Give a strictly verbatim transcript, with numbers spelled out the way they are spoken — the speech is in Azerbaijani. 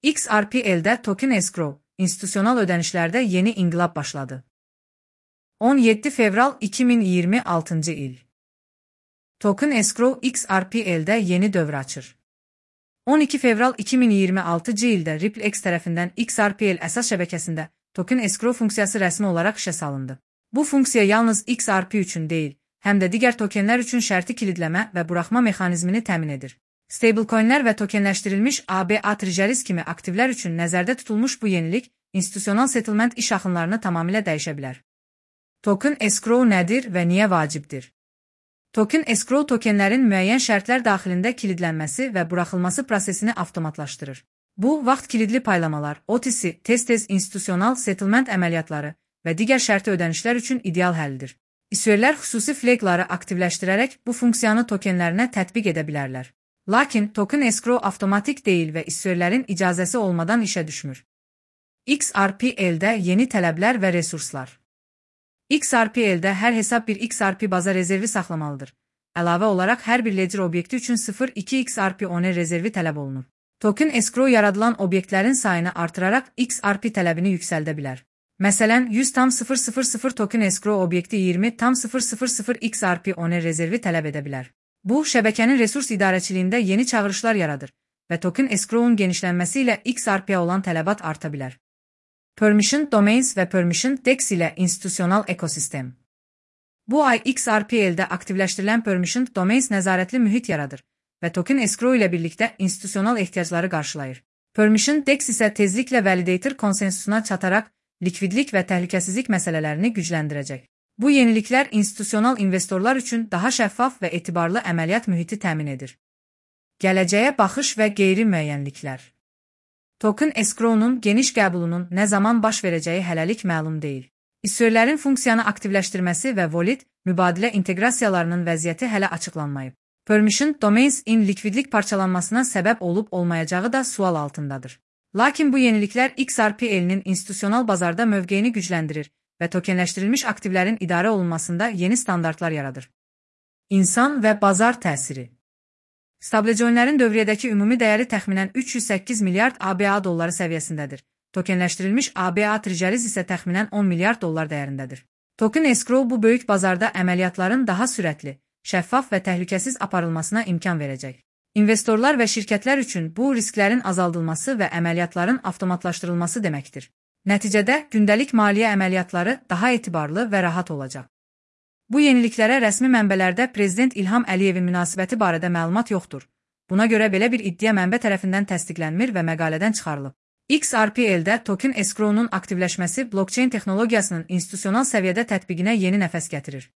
X R P L'də token escrow, institusional ödənişlərdə yeni inqilab başladı. on yeddi fevral iki min iyirmi altıncı il. Token escrow X R P L'də yeni dövr açır. on iki fevral iki min iyirmi altıncı ildə RippleX tərəfindən X R P L əsas şəbəkəsində token escrow funksiyası rəsmi olaraq işə salındı. Bu funksiya yalnız X R P üçün deyil, həm də digər tokenlər üçün şərti kilidləmə və buraxma mexanizmini təmin edir. Stablecoinlər və tokenləşdirilmiş A B A treasuries kimi aktivlər üçün nəzərdə tutulmuş bu yenilik, institusional settlement iş axınlarını tamamilə dəyişə bilər. Token escrow nədir və niyə vacibdir? Token escrow tokenlərin müəyyən şərtlər daxilində kilidlənməsi və buraxılması prosesini avtomatlaşdırır. Bu, vaxt kilidli paylamalar, O T C, tez-tez institusional settlement əməliyyatları və digər şərti ödənişlər üçün ideal həllidir. İsverlər xüsusi flagları aktivləşdirərək bu funksiyanı tokenlərinə tətbiq edə bilərlər. Lakin token escrow avtomatik deyil və isverlərin icazəsi olmadan işə düşmür. X R P L'də yeni tələblər və resurslar. X R P L'də hər hesab bir X R P baza rezervi saxlamalıdır. Əlavə olaraq hər bir ledger obyekti üçün sıfır nöqtə iki X R P owner rezervi tələb olunur. Token escrow yaradılan obyektlərin sayını artıraraq X R P tələbini yüksəldə bilər. Məsələn, yüz tam sıfır sıfır sıfır token escrow obyekti iyirmi tam sıfır sıfır sıfır X R P owner rezervi tələb edə bilər. Bu, şəbəkənin resurs idarəçiliyində yeni çağırışlar yaradır və token escrow'un genişlənməsi ilə X R P-yə olan tələbat arta bilər. Permission Domains və Permission Dex ilə institusional ekosistem. Bu ay X R P L'də aktivləşdirilən Permission Domains nəzarətli mühit yaradır və token escrow ilə birlikdə institusional ehtiyacları qarşılayır. Permission Dex isə tezliklə validator konsensusuna çataraq likvidlik və təhlükəsizlik məsələlərini gücləndirəcək. Bu yeniliklər institusional investorlar üçün daha şəffaf və etibarlı əməliyyat mühiti təmin edir. Gələcəyə baxış və qeyri-müəyyənliklər. Token escrow'nun geniş qəbulunun nə zaman baş verəcəyi hələlik məlum deyil. İsverlərin funksiyanı aktivləşdirməsi və wallet, mübadilə inteqrasiyalarının vəziyyəti hələ açıqlanmayıb. Permission Domains-in likvidlik parçalanmasına səbəb olub-olmayacağı da sual altındadır. Lakin bu yeniliklər X R P L'nin institusional bazarda mövqeyini gücləndirir və tokenləşdirilmiş aktivlərin idarə olunmasında yeni standartlar yaradır. İnsan və bazar təsiri. Stablecoinlərin dövriyyədəki ümumi dəyəri təxminən üç yüz səkkiz milyard A B A dolları səviyyəsindədir. Tokenləşdirilmiş A B A treasuries isə təxminən on milyard dollar dəyərindədir. Token escrow bu böyük bazarda əməliyyatların daha sürətli, şəffaf və təhlükəsiz aparılmasına imkan verəcək. İnvestorlar və şirkətlər üçün bu risklərin azaldılması və əməliyyatların avtomatlaşdırılması deməkdir. Nəticədə gündəlik maliyyə əməliyyatları daha etibarlı və rahat olacaq. Bu yeniliklərə rəsmi mənbələrdə Prezident İlham Əliyevin münasibəti barədə məlumat yoxdur. Buna görə belə bir iddia mənbə tərəfindən təsdiqlənmir və məqalədən çıxarılıb. X R P L'də token escrow'nun aktivləşməsi blockchain texnologiyasının institusional səviyyədə tətbiqinə yeni nəfəs gətirir.